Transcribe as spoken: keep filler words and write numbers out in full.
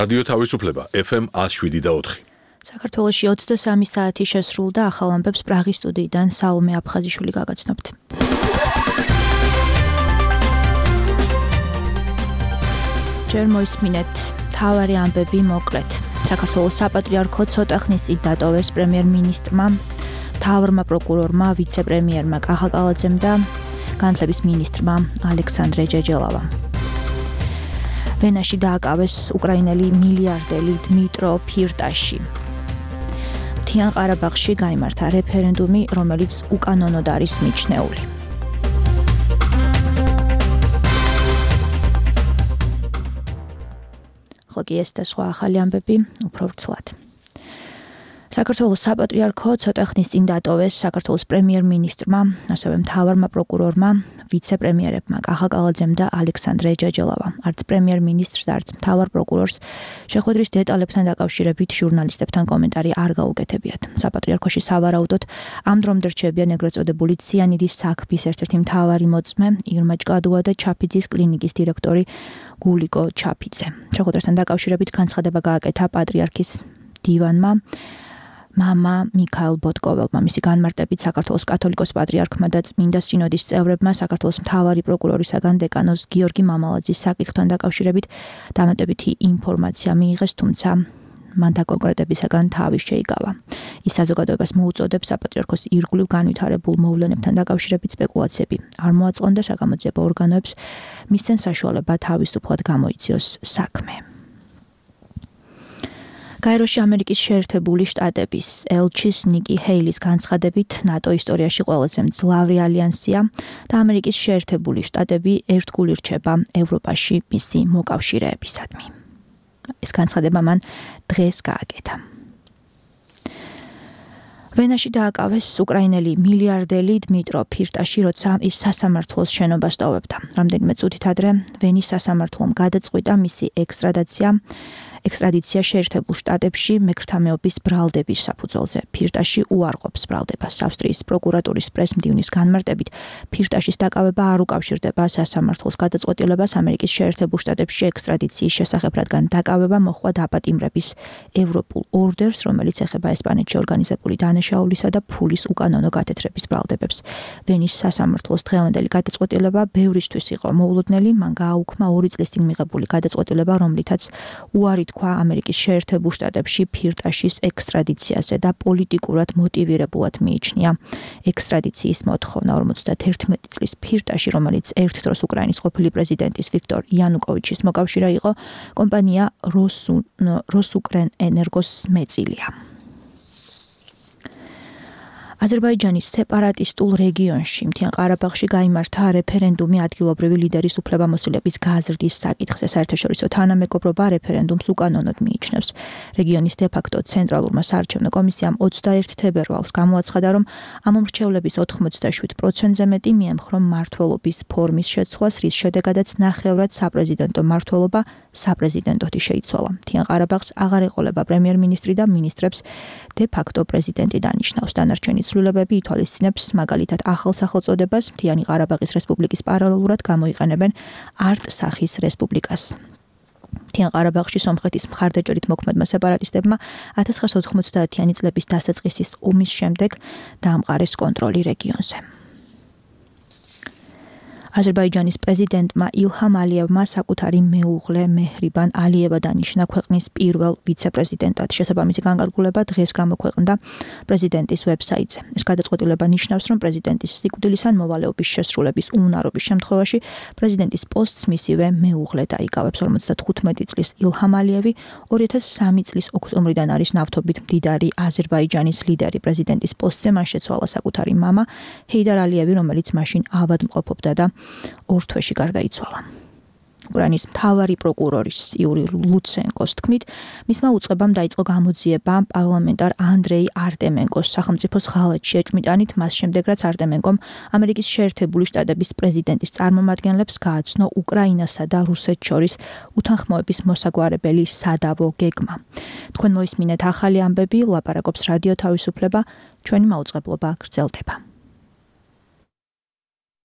რადიო თავისუფლება ეფ ემ one oh seven და four. საქართველოში ოცდასამი საათი შესრულდა, ახალ ამბებს პრაღის სტუდიიდან საუმე აფხაზიშვილი გაგაცნობთ. ჯერ მოისმინეთ მთავარი ამბები მოკლედ. საქართველოს საპატრიარქო ცოტა ხნის წინ დატოვეს პრემიერ-მინისტრმა, მთავარმა პროკურორმა, ვიცე-პრემიერმა კახა კალაძემ და განათლების მინისტრმა ალექსანდრე ჯეჯელავამ. ვენაში დააკავეს უკრაინელი მილიარდელი დმიტრო ფირტაში. მთიან ყარაბაღში გაიმართა რეფერენდუმი, რომელიც უკანონოდ არის მიჩნეული. ხოლო კი ეს და სხვა ახალი ამბები უფრო ვრცლად. საქართველოს საპატრიარქო ცოტა ხნის წინ დატოვეს საქართველოს პრემიერ-მინისტრმა, ასევე მთავარმა პროკურორმა, ვიცე-პრემიერებმა კახა კალაძემ და ალექსანდრე ჯეჯელავამ. არც პრემიერ-მინისტრს და არც მთავარ პროკურორს შეხვედრის დეტალებთან დაკავშირებით ჟურნალისტებთან კომენტარი არ გაუკეთებიათ. საპატრიარქოში სავარაუდოდ ამ დრომდე რჩებიან ეგრეთ წოდებული ციანიდის საქმის ერთ-ერთი მთავარი მოწმე ირმა ჭკადუა და ჩაფიძის კლინიკის დირექტორი გულიკო ჩაფიძე. შეხვედრასთან დაკავშირებით განცხადება გააკეთა პატრიარქის დივანმა მამა მიქაელ ბოტკოველმა. მისი განმარტებით საქართველოს კათოლიკოს პატრიარქმა და წმინდა სინოდის წევრებმა საქართველოს მთავარი პროკურორისაგან დეკანოს გიორგი მამალაძის საკითხთან დაკავშირებით დამატებითი ინფორმაცია მიიღეს, თუმცა მან დაკონკრეტებისაგან თავი შეიკავა. ის საზოგადოებას მოუწოდებს საპატრიარქოს ირგვლივ განვითარებულ მოვლენებთან დაკავშირებით სპეკულაციები არ მოაწყონ და საგამოძიებო ორგანოებს მისცენ საშუალება თავისუფლად გამოიძიოს საქმე. გაეროში ამერიკის შეერთებული შტატების ელჩის ნიკი ჰეილის განცხადებით ნატო ისტორიაში ყველაზე მძლავრი ალიანსია და ამერიკის შეერთებული შტატები ერთგული რჩება ევროპაში მისი მოკავშირეებისადმი. ეს განცხადება მან დღეს გააკეთა. ვენაში დააკავეს უკრაინელი მილიარდელი დმიტრო ფირტაში, როცა ის სასამართლოს შენობას ტოვებდა. რამდენიმე წუთით ადრე ვენის სასამართლომ გადაწყვიტა მისი ექსტრადიცია ექსტრადიცია შეერთებულ შტატებში მექრთამეობის ბრალდების საფუძველზე. ფირტაში უარყოფს ბრალდებას. ავსტრიის პროკურატურის პრესმდივნის განმარტებით, ფირტაშის დაკავება არ უკავშირდება სასამართლოს გადაწყვეტილებას ამერიკის შეერთებულ შტატებში ექსტრადიციის შესახებ, რადგან დაკავება მოჰყვა დაპატიმრების ევროპულ ორდერს, რომელიც ეხება ესპანეთში ორგანიზებული დანაშაულისა და ფულის უკანონო გათეთრების ბრალდებებს. ვენის სასამართლოს დღევანდელი გადაწყვეტილება ბევრისთვის იყო მოულოდნელი. მან გააუქმა ორი წლის წინ მიღებული გადაწყვეტილება, რომლითაც უარი თქვა ამერიკის შეერთებულ შტატებში ფირტაშის ექსტრადიციაზე და პოლიტიკურად მოტივირებულად მიიჩნია ექსტრადიციის მოთხოვნა. ორმოცდაერთი წლის ფირტაში, რომელიც ერთ დროს უკრაინის ყოფილი პრეზიდენტის ვიქტორ იანუკოვიჩის მოკავშირე იყო, კომპანია როსუკრენ ენერგოს მეწილია. აზერბაიჯანის სეპარატისტულ რეგიონში მთიან ყარაბაღში გაიმართა რეფერენდუმი ადგილობრივი ლიდერის უფლებამოსილების გაზრდის საკითხზე. საერთაშორისო თანამეგობრობა რეფერენდუმს უკანონოდ მიიჩნევს. რეგიონის დე-ფაქტო ცენტრალურმა საარჩევნო კომისიამ ოცდაერთი თებერვალს გამოაცხადა, რომ ამ მრჩევლების ოთხმოცდაშვიდ პროცენტზე მეტი მიემხრო მმართველობის ფორმის შეცვლას, რის შედეგადაც ნახევრად საპრეზიდენტო მმართველობა საპრეზიდენტოთი შეიცვალა. მთიან ყარაბაღს აღარ ეყოლება პრემიერ-მინისტრი და მინისტრებს დე-ფაქტო პრეზიდენტი დანიშნავს. დანარჩენი ცვლილებები ითვალისწინებს მაგალითად ახალ სახელწოდებას მთიანი ყარაბაღის რესპუბლიკის პარალელურად გამოიყენებენ არტ-სახის რესპუბლიკას. მთიან ყარაბაღში სომხეთის მხარდაჭერით მოქმედმა სეპარატისტებმა ათას ცხრაასი ოთხმოცდაათიანი წლების დასაწყისის ომის შემდეგ დაამყარეს კონტროლი რეგიონზე. აზერბაიჯანის პრეზიდენტმა ილჰამ ალიევმა საკუთარი მეუღლე მეჰრიბან ალიევა დანიშნა ქვეყნის პირველ ვიცე-პრეზიდენტად. შესაბამისი განკარგულება დღეს გამოქვეყნდა პრეზიდენტის ვებსაიტზე. ეს გადაწყვეტილება ნიშნავს, რომ პრეზიდენტის სიკვდილის ან მოვალეობის შესრულების უნარობის შემთხვევაში პრეზიდენტის პოსტს მისივე მეუღლე დაიკავებს. ორმოცდათხუთმეტი წლის ილჰამ ალიევი ორი ათას სამი წლის ოქტომბრიდან არის ნავთობით მდიდარი აზერბაიჯანის ლიდერი. პრეზიდენტის პოსტზე მან შეცვალა საკუთარი მამა ჰეიდარ ალიევი, რომელიც მაშინ ავადმყოფობდა და ორ თვეში გარდაიცვალა. უკრაინის მთავარი პროკურორის იური ლუცენკოს თქმით, მისმა უწყებამ დაიწყო გამოძიება პარლამენტარ ანდრეი არტემენკოს სახელმწიფოს ღალატში ეჭვმიტანით, მას შემდეგ რაც არტემენკომ ამერიკის შეერთებული შტატების პრეზიდენტის წარმომადგენლებს გააცნო უკრაინასა და რუსეთს შორის უთანხმოების მოსაგვარებელი სადავო გეგმა. თქვენ მოისმინეთ ახალი ამბები, ლაპარაკობს რადიო თავისუფლება, ჩვენი მაუწყებლობა გრძელდება.